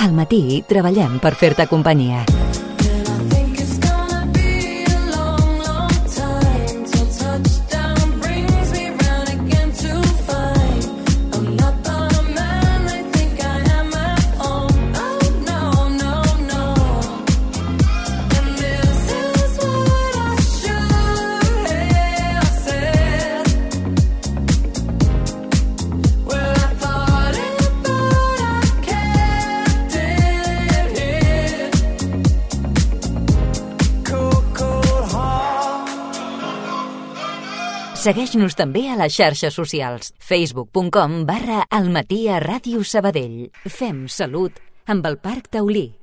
Al matí treballem per fer-te companyia. Segueix-nos també a les xarxes socials. facebook.com/almatiaradiosabadell. Fem salut amb el Parc Taulí.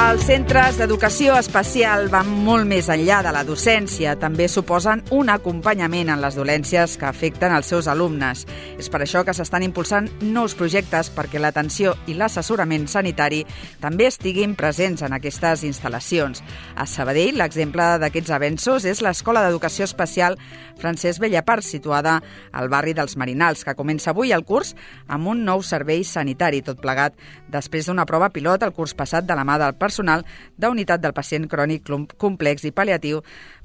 Els centres d'educació especial van molt més enllà de la docència. També suposen un acompanyament en les dolències que afecten els seus alumnes. És per això que s'estan impulsant nous projectes perquè l'atenció i l'assessorament sanitari també estiguin presents en aquestes instal·lacions. A Sabadell, l'exemple d'aquests avenços és l'Escola d'Educació Especial Francesc Bellapart, situada al barri dels Marinals, que comença avui el curs amb un nou servei sanitari, tot plegat després d'una prova pilot el curs passat de la mà del personal d'unitat del pacient crònic complex i pal·liatiu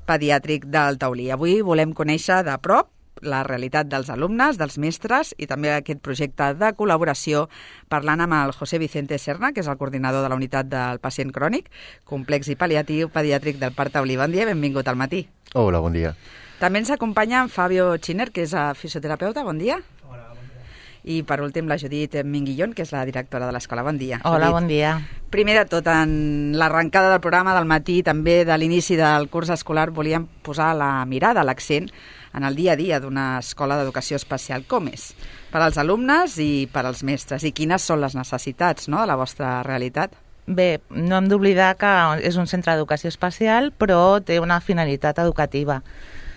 pediàtric del Taulí. Avui volem conèixer de prop la realitat dels alumnes, dels mestres i també aquest projecte de col·laboració, parlant amb el José Vicente Serna, que és el coordinador de la unitat del pacient crònic complex i pal·liatiu pediàtric del Parc Taulí. Bon dia, benvingut al matí. Hola, bon dia. També ens acompanya en Fabio Chiner, que és fisioterapeuta. Bon dia. Hola, bon dia. I per últim la Judit Minguillón, que és la directora de l'escola. Bon dia. Hola, Judit. bon dia. Primer de tot, en l'arrencada del programa del matí, també de l'inici del curs escolar, volíem posar la mirada, l'accent, en el dia a dia d'una escola d'educació especial. Com és? Per als alumnes i per als mestres. I quines són les necessitats, no?, de la vostra realitat? Bé, no hem d'oblidar que és un centre d'educació especial, però té una finalitat educativa.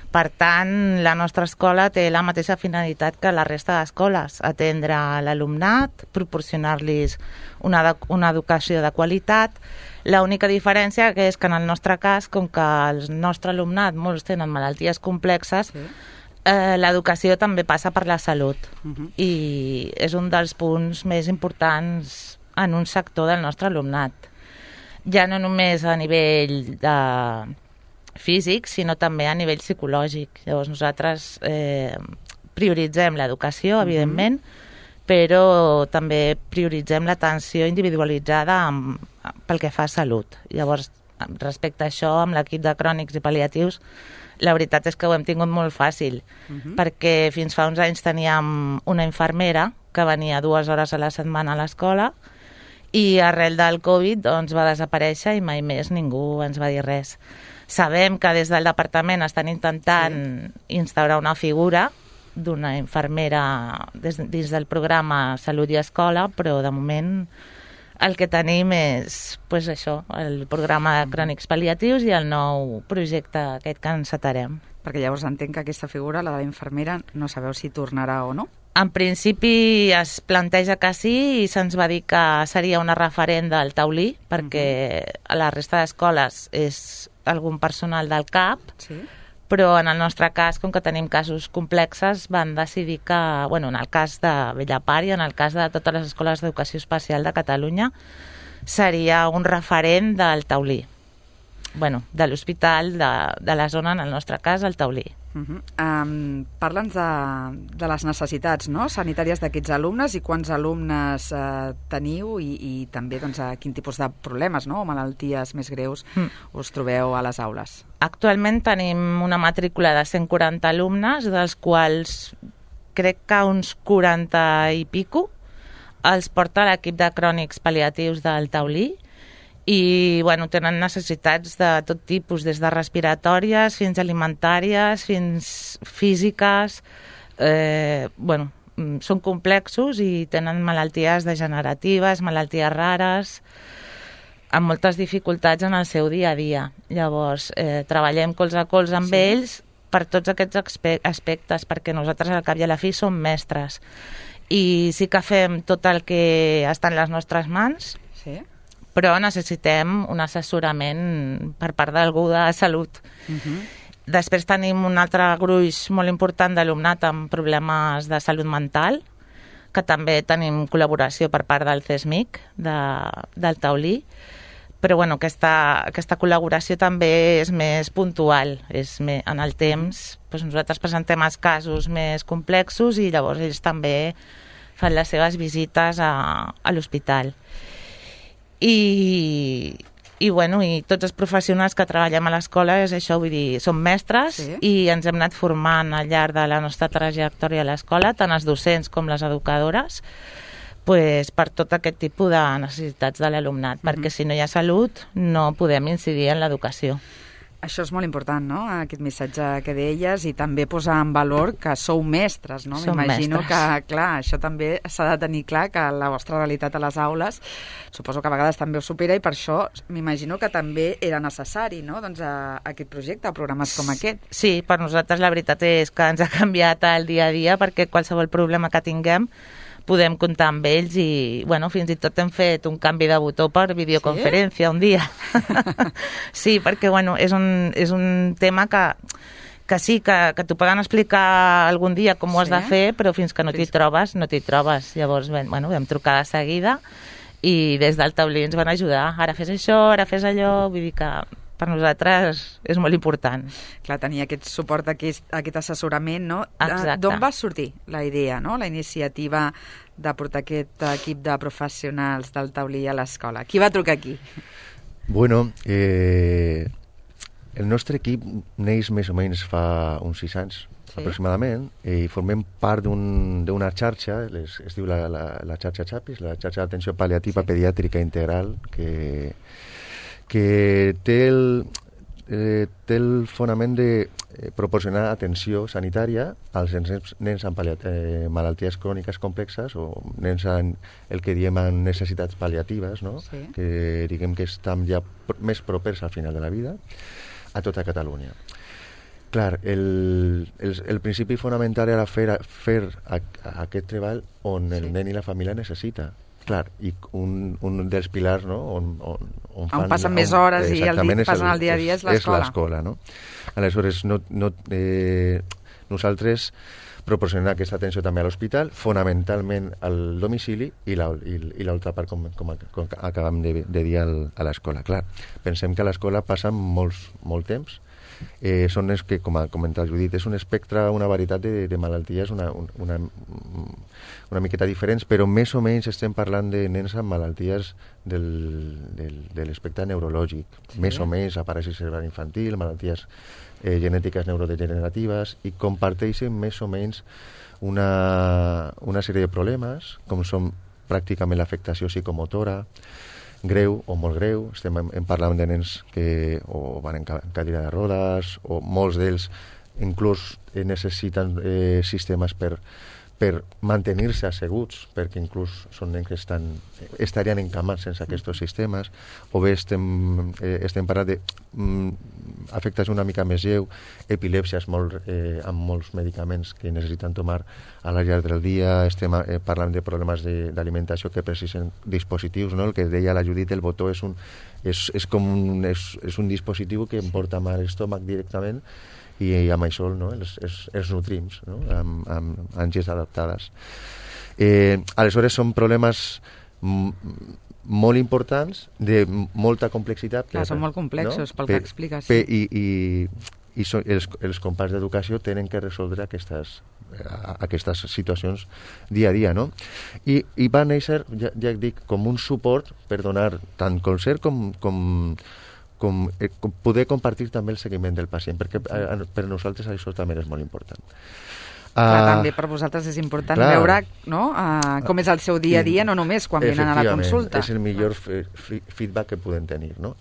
Per tant, la nostra escola té la mateixa finalitat que la resta d'escoles, atendre l'alumnat, proporcionar-los una educació de qualitat. L'única diferència és que en el nostre cas, com que el nostre alumnat molts tenen malalties complexes, sí, l'educació també passa per la salut. I és un dels punts més importants en un sector del nostre alumnat. Ja no només a nivell físic, sinó també a nivell psicològic. Llavors nosaltres prioritzem l'educació, evidentment, però també prioritzem l'atenció individualitzada pel que fa a salut. Llavors, respecte a això, amb l'equip de crònics i pal·liatius, la veritat és que ho hem tingut molt fàcil, perquè fins fa uns anys teníem una infermera que venia 2 hores a la setmana a l'escola i arrel del Covid doncs, va desaparèixer i mai més ningú ens va dir res. Sabem que des del departament estan intentant instaurar una figura d'una infermera dins del programa Salut i Escola, però de moment el que tenim és això, el programa de crònics pal·liatius i el nou projecte aquest que encetarem. Perquè llavors entenc que aquesta figura, la de la infermera, no sabeu si tornarà o no? En principi es planteja que sí i se'ns va dir que seria una referent del Taulí, perquè a la resta d'escoles és algun personal del CAP, sí, però en el nostre cas, com que tenim casos complexes, van decidir que, en el cas de Bellapart i en el cas de totes les escoles d'educació especial de Catalunya, seria un referent del Taulí. De l'hospital de la zona, en el nostre cas, el Taulí. Parla'ns de les necessitats, no?, sanitàries d'aquests alumnes i quants alumnes teniu i també quin tipus de problemes, no?, o malalties més greus us trobeu a les aules. Actualment tenim una matrícula de 140 alumnes, dels quals crec que uns 40 i pico els porta l'equip de crònics pal·liatius del Taulí i tenen necessitats de tot tipus, des de respiratòries fins alimentàries, fins físiques, són complexos i tenen malalties degeneratives, malalties rares, amb moltes dificultats en el seu dia a dia. Llavors, treballem colze a colze amb ells per tots aquests aspectes, perquè nosaltres al cap i a la fi som mestres. I sí que fem tot el que està en les nostres mans, però necessitem un assessorament per part d'algú de salut. Després tenim un altre gruix molt important d'alumnat amb problemes de salut mental, que també tenim col·laboració per part del CESMIC, del Taulí, però bueno, aquesta col·laboració també és més puntual, en el temps. Doncs nosaltres presentem els casos més complexos i llavors ells també fan les seves visites a l'hospital. I tots els professionals que treballem a l'escola és això, vull dir, som mestres i ens hem anat formant al llarg de la nostra trajectòria a l'escola, tant els docents com les educadores, per tot aquest tipus de necessitats de l'alumnat, perquè si no hi ha salut no podem incidir en l'educació. Això és molt important, no?, aquest missatge que deies, i també posar en valor que sou mestres, no? M'imagino que, clar, això també s'ha de tenir clar, que la vostra realitat a les aules suposo que a vegades també us supera, i per això m'imagino que també era necessari, no?, doncs aquest projecte, programes com aquest. Sí, per nosaltres la veritat és que ens ha canviat el dia a dia, perquè qualsevol problema que tinguem podem comptar amb ells i, fins i tot hem fet un canvi de botó per videoconferència un dia. Sí, perquè, és un tema que sí, que t'ho poden explicar algun dia com ho has de fer, però fins que no t'hi trobes, no t'hi trobes. Llavors, vam trucar de seguida i des del taulí ens van ajudar. Ara fes això, ara fes allò, vull dir que per nosaltres és molt important. Clar, tenir aquest suport, aquest assessorament, no? Exacte. D'on va sortir la idea, no?, la iniciativa de portar aquest equip de professionals del taulí a l'escola? Qui va trucar aquí? Bueno, el nostre equip neix més o menys fa uns 6 anys, aproximadament, i formem part d'una xarxa, es diu la xarxa XAPIS, la xarxa d'atenció pal·liativa pediàtrica integral, que té el fonament de proporcionar atenció sanitària als nens amb malalties cròniques complexes o nens amb el que diem amb necessitats pal·liatives, no? Que diguem que estan ja més propers al final de la vida, a tota Catalunya. Clar, el principi fonamental era fer aquest treball on el nen i la família necessita. Clar, i un dels pilars, no?, on passen més hores i passen el dia a dia és l'escola. És l'escola, no? Aleshores, nosaltres proporcionem aquesta atenció també a l'hospital, fonamentalment al domicili, i l'altra part, com acabem de dir, a l'escola. Clar, pensem que a l'escola passen molt temps. Són els que, com ha comentat Judit, és un espectre, una varietat de malalties una miqueta diferents, però més o menys estem parlant de nens amb malalties de l'espectre neurològic, més o menys apareixi cerebral infantil, malalties genètiques neurodegeneratives, i comparteixen més o menys una sèrie de problemes, com són pràcticament l'afectació psicomotora, greu o molt greu. Estem parlant de nens que o van en cadira de rodes, o molts d'ells inclús necessiten sistemes per mantenir-se asseguts, perquè inclús són nens que estarien encamats sense aquests sistemes, o bé estem parlant d'afectació una mica més lleu, epilèpsies amb molts medicaments que necessiten tomar a la llarg del dia. Estem parlant de problemes d'alimentació que precisen dispositius, no? El que deia la Judit, el botó és un dispositiu que em porta mal l'estómac directament, i amb això, no?, els nutrim, no?, amb àngies adaptades. Aleshores són problemes molt importants, de molta complexitat. Clar, són molt complexos, no?, pel que expliques. I els companys d'educació tenen que resoldre aquestes situacions dia a dia, no? I va néixer, ja dic, com un suport per donar tant concert com poder compartir també el seguiment del pacient, perquè per nosaltres això també és molt important. També per vosaltres és important veure, no?, com és el seu dia a dia, no només quan venen a la consulta. És el millor feedback que podem tenir, no?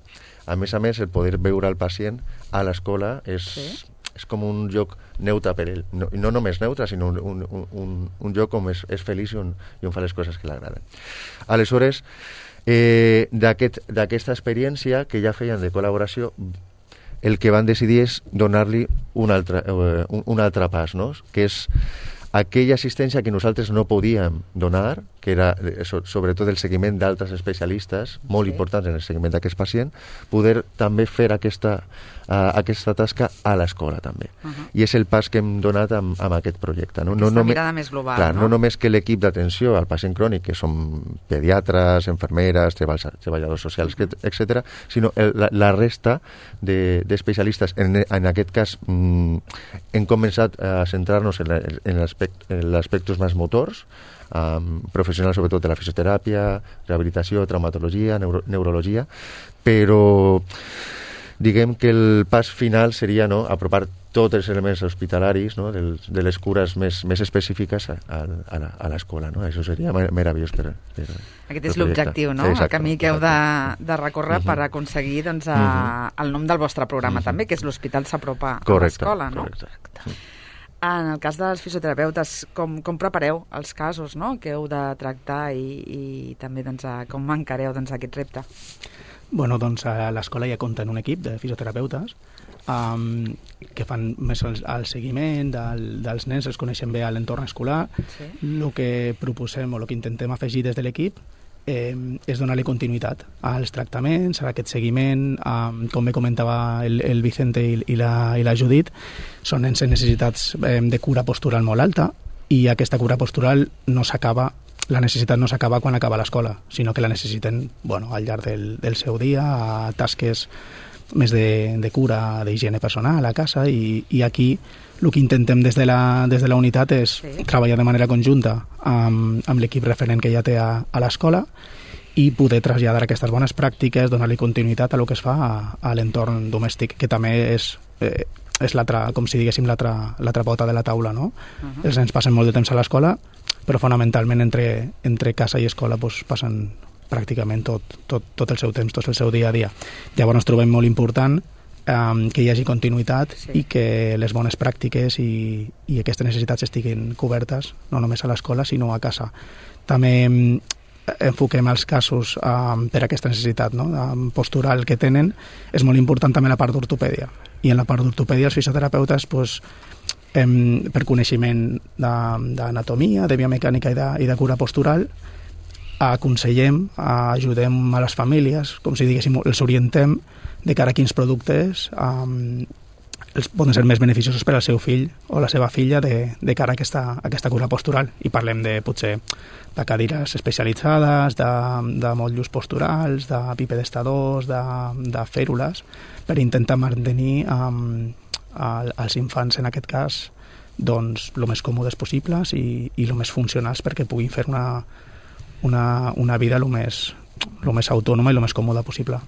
A més, el poder veure el pacient a l'escola és és com un lloc neutre per ell. No només neutre, sinó un lloc on és feliç i on fa les coses que l'agraden. Aleshores, d'aquesta experiència que ja feien de col·laboració, el que van decidir és donar-li un altre pas, no? Que és aquella assistència que nosaltres no podíem donar, que era sobretot el seguiment d'altres especialistes, molt importants en el seguiment d'aquest pacient, poder també fer aquesta tasca a l'escola també. I és el pas que hem donat amb aquest projecte. Aquesta mirada més global, clar, no només que l'equip d'atenció al pacient crònic, que són pediatres, infermeres, treballadors socials, etc., sinó la resta d'especialistes. En aquest cas hem començat a centrar-nos en aspectos més motors, professionals sobretot de la fisioteràpia, rehabilitació, traumatologia, neurologia, però diguem que el pas final seria apropar tots els elements hospitalaris, no? de les cures més específiques a l'escola. No? Això seria meravellós per aquest és l'objectiu, no? Sí, el camí que heu de recórrer per aconseguir el nom del vostre programa també, que és l'Hospital s'apropa a l'escola, no? Correcte. En el cas dels fisioterapeutes, com prepareu els casos, no?, que heu de tractar i també com encareu aquest repte? Bueno, doncs a l'escola ja compten un equip de fisioterapeutes que fan més el seguiment dels nens, els coneixen bé a l'entorn escolar. Sí. El que proposem o el que intentem afegir des de l'equip és donar-li continuïtat als tractaments, a aquest seguiment, com bé comentava el Vicente i la Judit, són nens amb necessitats de cura postural molt alta, i aquesta cura postural la necessitat no s'acaba quan acaba l'escola, sinó que la necessiten al llarg del seu dia, a tasques més de cura, d'higiene personal a casa, i aquí el que intentem des de la unitat és treballar de manera conjunta amb l'equip referent que ja té a l'escola i poder traslladar aquestes bones pràctiques, donar-li continuïtat a el que es fa a l'entorn domèstic, que també és l'altra, com si diguéssim, l'altra pota de la taula, no? Els nens passen molt de temps a l'escola, però fonamentalment entre casa i escola passen pràcticament tot el seu temps, tot el seu dia a dia. Llavors trobem molt important que hi hagi continuïtat i que les bones pràctiques i aquestes necessitats estiguin cobertes no només a l'escola sinó a casa. També enfoquem els casos per aquesta necessitat postural que tenen. És molt important també la part d'ortopèdia, i en la part d'ortopèdia els fisioterapeutes per coneixement d'anatomia, de biomecànica i de cura postural aconsellem, ajudem a les famílies, com si diguéssim, els orientem de cara a quins productes poden ser més beneficiosos per al seu fill o la seva filla de cara a aquesta cura postural. I parlem potser de cadires especialitzades, de motllos posturals, de bipedestadors, de fèrules, per intentar mantenir als infants, en aquest cas, doncs, el més còmodes possibles i el més funcionals perquè puguin fer una vida el més autònoma i el més còmoda possible.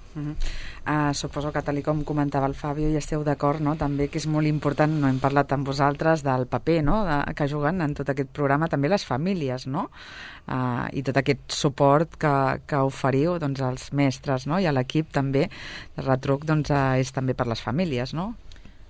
Suposo que, tal com comentava el Fabio, i esteu d'acord, no? També que és molt important, no hem parlat amb vosaltres del paper, no?, que juguen en tot aquest programa també les famílies, no? I tot aquest suport que oferiu als mestres, no?, i a l'equip també, el retruc és també per les famílies, no?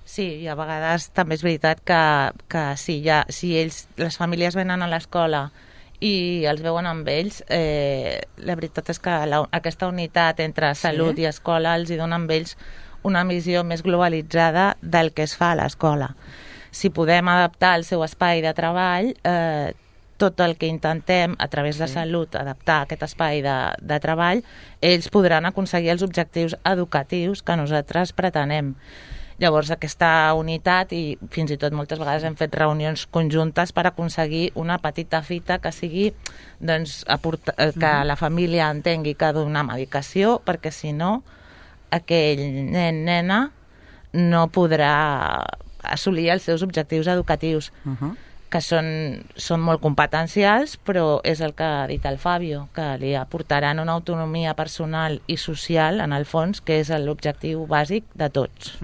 Sí, i a vegades també és veritat que si les famílies venen a l'escola i els veuen amb ells, la veritat és que aquesta unitat entre salut i escola els hi dona amb ells una visió més globalitzada del que es fa a l'escola. Si podem adaptar el seu espai de treball, tot el que intentem a través de salut adaptar aquest espai de treball, ells podran aconseguir els objectius educatius que nosaltres pretenem. Llavors, aquesta unitat, i fins i tot moltes vegades hem fet reunions conjuntes per aconseguir una petita fita que sigui que la família entengui que ha de donar medicació, perquè si no, aquell nen-nena no podrà assolir els seus objectius educatius, que són molt competencials, però és el que ha dit el Fabio, que li aportaran una autonomia personal i social, en el fons, que és l'objectiu bàsic de tots.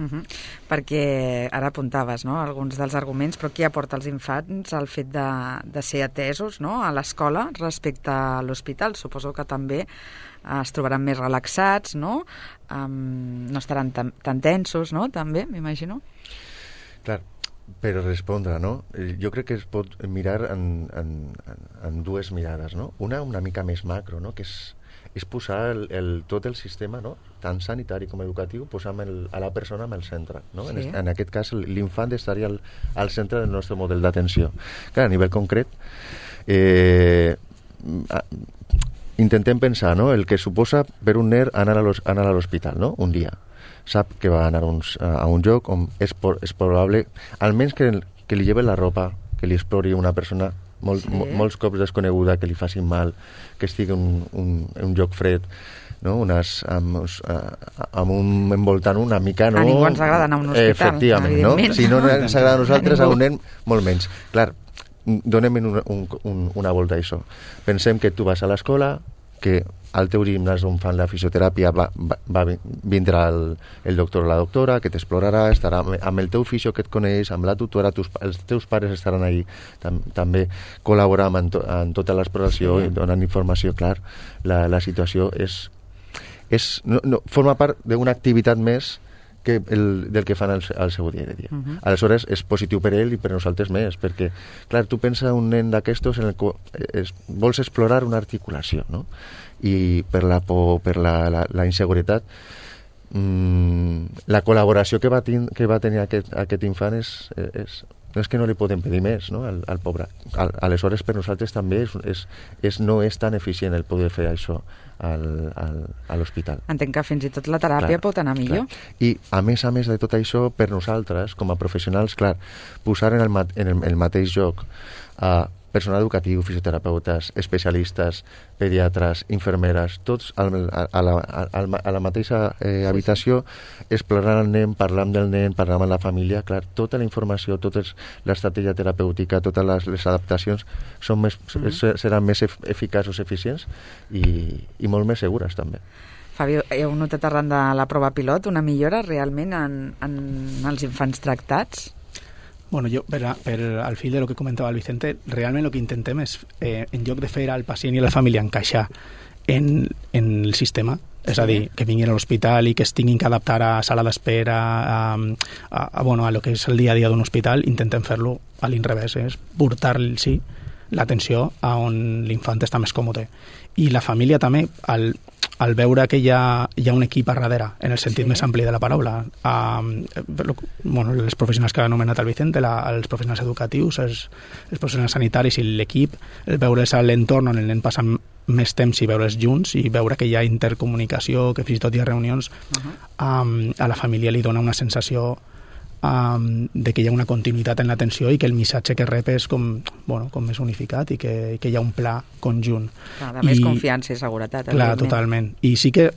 Perquè ara apuntaves, no?, alguns dels arguments, però què aporta als infants el fet de ser atesos, no?, a l'escola respecte a l'hospital? Suposo que també es trobaran més relaxats, no?, no estaran tan tensos, no?, també, m'imagino. Clar, per respondre, no? Jo crec que es pot mirar en dues mirades, no? Una mica més macro, no? Que és posar tot el sistema, no? Tant sanitari com educatiu, posar a la persona en el centre, no? Sí. En aquest cas, l'infant estaria al centre del nostre model d'atenció. Clar, a nivell concret, intentem pensar, no? El que suposa per un nen anar a l'hospital, no? Un dia. Sap que va anar a un lloc on és probable, almenys que li lleven la ropa, que li explori una persona molts cops desconeguda, que li facin mal, que estigui en un lloc fred, no? Amb un envoltant una mica, no? A ningú ens agrada anar a un hospital, efectivament, no? Si no ens agrada a nosaltres, a un nen, molt menys. Clar, donem una volta a això. Pensem que tu vas a l'escola, que al teu gimnàs on fan la fisioteràpia vindrà el doctor o la doctora, que t'explorarà, estarà amb el teu fisio que et coneix, amb la tutora, els teus pares estaran ahí també col·laborant en tota l'exploració i donant informació. Clar, la situació forma part d'una activitat més del que fan al seu dia a dia. Aleshores, és positiu per ell i per nosaltres més, perquè, clar, tu pensa un nen d'aquestos en el qual vols explorar una articulació, no? I per la por, per la inseguretat, la col·laboració que va tenir aquest infant és que no li podem pedir més, no? Al pobre. Aleshores, per nosaltres també no és tan eficient el poder fer això a l'hospital. Entenc que fins i tot la teràpia pot anar millor. I a més de tot això, per nosaltres, com a professionals, clar, posar en el mateix lloc personal educatiu, fisioterapeutes, especialistes, pediatres, infermeres, tots a la mateixa habitació, explorant el nen, parlant del nen, parlant amb la família. Clar, tota la informació, tota l'estratègia terapèutica, totes les adaptacions seran més eficaços, eficients i molt més segures també. Fabio, heu notat arran de la prova pilot una millora realment en els infants tractats? Bueno, jo, al fil de lo que comentava el Vicente, realment el que intentem és, en lloc de fer al pacient i a la família encaixar en el sistema, és a dir, que vinguin a l'hospital i que es tinguin que adaptar a sala d'espera, a lo que és el dia a dia d'un hospital, intentem fer-lo a l'inrevés, és portar-los l'atenció a on l'infant està més còmode. I la família també, al veure que hi ha un equip a darrere, en el sentit més ampli de la paraula, els professionals que ha anomenat el Vicente, els professionals educatius, els professionals sanitaris i l'equip, el veure's a l'entorn on el nen passa més temps i veure's junts i veure que hi ha intercomunicació, que fins i tot hi ha reunions, a la família li dona una sensació de que hi ha una continuïtat en l'atenció i que el missatge que rep és com més unificat i que hi ha un pla conjunt. De més confiança i seguretat. Clar, totalment. I sí que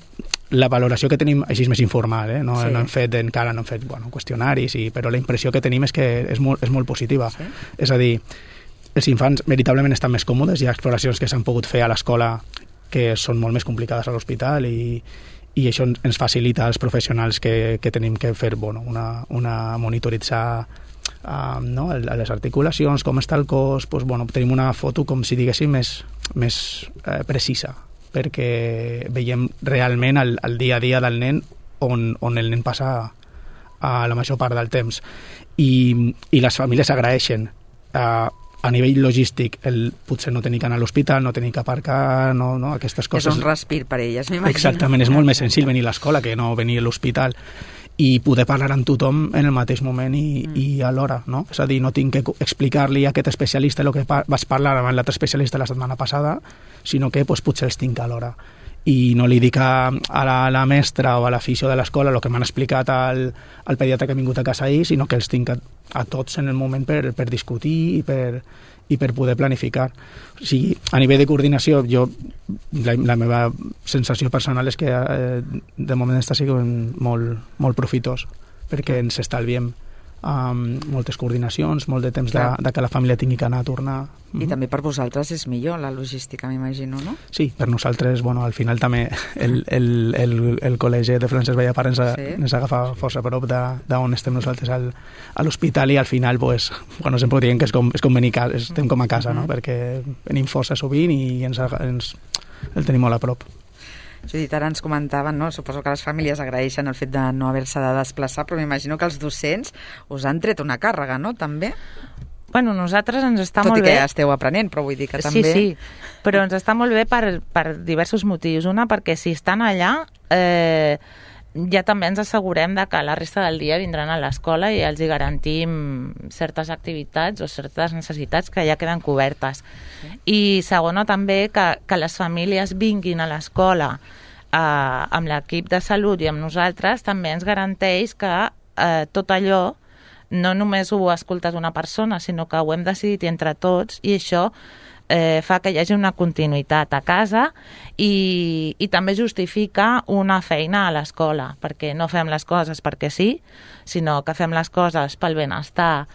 la valoració que tenim, així és més informal, no hem fet qüestionaris, però la impressió que tenim és que és molt positiva. Sí? És a dir, els infants veritablement estan més còmodes, hi ha exploracions que s'han pogut fer a l'escola que són molt més complicades a l'hospital i això ens facilita als professionals que tenim que fer monitoritzar les articulacions, com està el cos, tenim una foto com si diguéssim més precisa, perquè veiem realment el dia a dia del nen on el nen passa la major part del temps i les famílies agraeixen a nivell logístic, potser no tenir que anar a l'hospital, no tenir que aparcar, aquestes coses. És un respir per elles, m'imagino. Exactament, és molt més senzill venir a l'escola que no venir a l'hospital i poder parlar amb tothom en el mateix moment i alhora, no? És a dir, no tinc que explicar-li a aquest especialista el que vas parlar amb l'altre especialista la setmana passada, sinó que potser els tinc alhora. I no li dic a la mestra o a la fisio de l'escola el que m'han explicat al pediatre que ha vingut a casa ahir, sinó que els tinc a tots en el moment per discutir i per poder planificar. O sigui, a nivell de coordinació, la meva sensació personal és que de moment està sent molt profitós, perquè ens estalviem moltes coordinacions, molt de temps de que la família tingui que anar a tornar. I també per vosaltres és millor la logística, m'imagino, no? Sí, per nosaltres, al final també el col·legi de Francesc Vallapar ens agafa força a prop d'on estem nosaltres a l'hospital i al final, sempre diem que és com venir a casa, estem com a casa, no? Perquè venim força sovint i el tenim molt a prop. Judit, ara ens comentaven, no? Suposo que les famílies agraeixen el fet de no haver-se de desplaçar, però m'imagino que els docents us han tret una càrrega, no?, també? Bueno, nosaltres ens està molt bé. Tot i que ja esteu aprenent, però vull dir que també... Sí, però ens està molt bé per diversos motius. Una, perquè si estan allà, ja també ens assegurem de que la resta del dia vindran a l'escola i els hi garantim certes activitats o certes necessitats que ja queden cobertes. I segona, també, que les famílies vinguin a l'escola amb l'equip de salut i amb nosaltres també ens garanteix que tot allò no només ho escoltes una persona, sinó que ho hem decidit entre tots, i això fa que hi hagi una continuïtat a casa i també justifica una feina a l'escola, perquè no fem les coses perquè sí, sinó que fem les coses pel benestar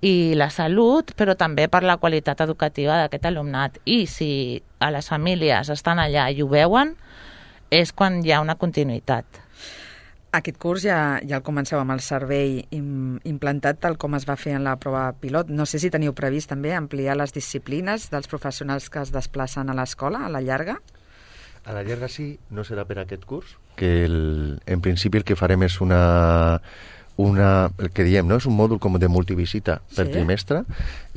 i la salut, però també per la qualitat educativa d'aquest alumnat. I si a les famílies estan allà i ho veuen, és quan hi ha una continuïtat. Aquest curs ja el comenceu amb el servei implantat tal com es va fer en la prova pilot. No sé si teniu previst també ampliar les disciplines dels professionals que es desplacen a l'escola a la llarga? A la llarga sí, no serà per aquest curs, que en principi el que farem és el que diem, no? És un mòdul com de multivisita per trimestre,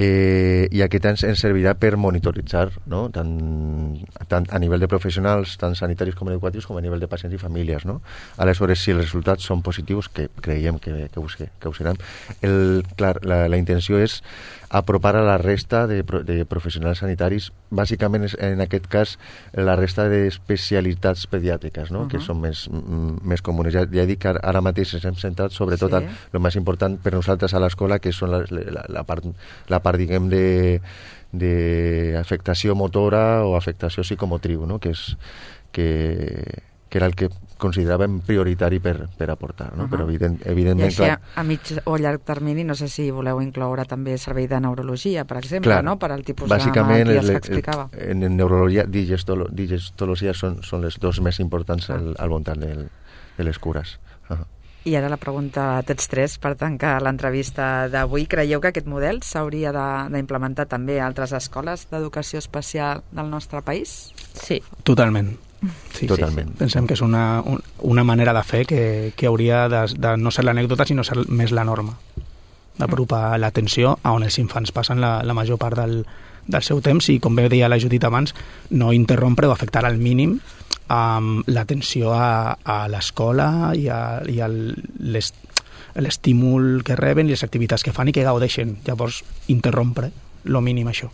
i aquest ens servirà per monitoritzar, no? tant a nivell de professionals, tant sanitaris com educatius, com a nivell de pacients i famílies, no? Aleshores, si els resultats són positius, que creiem que ho seran, la intenció és apropar a la resta de professionals sanitaris, bàsicament en aquest cas la resta d'especialitats pediàtriques, no? Que són més comunes. Ja dic que ara mateix ens hem centrat sobretot el més important per nosaltres a l'escola, que són la part diguem d'afectació motora o afectació psicomotriu, no? que era el que consideràvem prioritari per aportar, no? Però evidentment... I així, a mig o llarg termini, no sé si voleu incloure també servei de neurologia, per exemple, no? Per al tipus de malalties que explicava. En neurologia, digestologia són les dos més importants al voltant de les cures. I ara la pregunta a tots tres per tancar l'entrevista d'avui. Creieu que aquest model s'hauria d'implementar també a altres escoles d'educació especial del nostre país? Sí. Totalment. Sí, totalment. Pensem que és una manera de fer que hauria de no ser l'anècdota, sinó ser més la norma. D'apropar l'atenció a on els infants passen la major part del seu temps i, com bé deia la Judit abans, no interrompre o afectar al mínim l'atenció a l'escola i l'estímul que reben i les activitats que fan i que gaudeixen. Llavors, interrompre lo mínim això.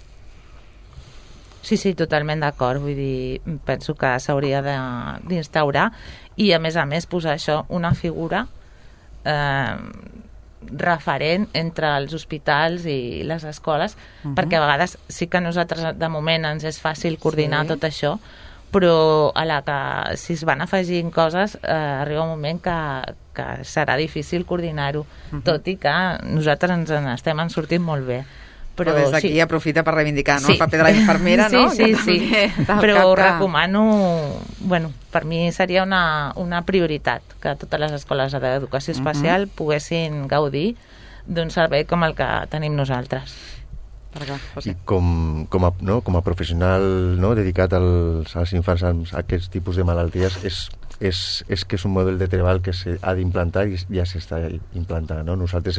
Sí, totalment d'acord. Vull dir, penso que s'hauria d'instaurar i, a més, posar això, una figura referent entre els hospitals i les escoles, perquè a vegades sí que a nosaltres de moment ens és fàcil coordinar tot això, però si es van afegint coses arriba un moment que serà difícil coordinar-ho, tot i que nosaltres ens n'estem sortint molt bé. Però des d'aquí aprofita per reivindicar el paper de la infermera, no? Sí. Però ho recomano, per mi seria una prioritat que totes les escoles d'educació especial poguessin gaudir d'un servei com el que tenim nosaltres. I com a professional dedicat als infants amb aquests tipus de malalties, és que és un model de treball que s'ha d'implantar i ja s'està implantant, no? Nosaltres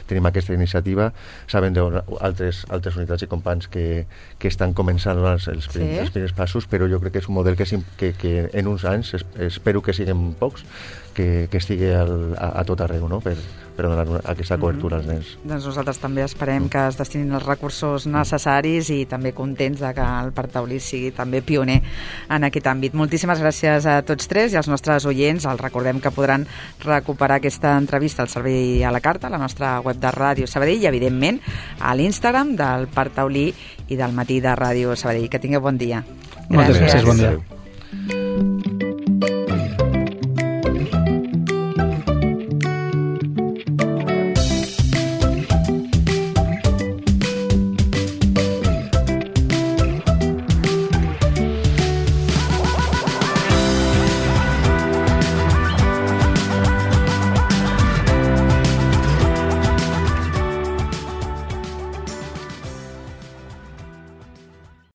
tenim aquesta iniciativa, sabem d'altres unitats i companys que estan començant els primers passos, però jo crec que és un model que en uns anys, espero que siguin pocs, que estigui a tot arreu, no? Per donar aquesta cobertura als nens. Doncs nosaltres també esperem que es destinin els recursos necessaris i també contents de que el Parc Taulí sigui també pioner en aquest àmbit. Moltíssimes gràcies a tots tres i als nostres oients. Els recordem que podran recuperar aquesta entrevista al servei a la carta, a la nostra web de Ràdio Sabadell i, evidentment, a l'Instagram del Parc Taulí i del Matí de Ràdio Sabadell. Que tingueu bon dia. Moltes gràcies, bon dia.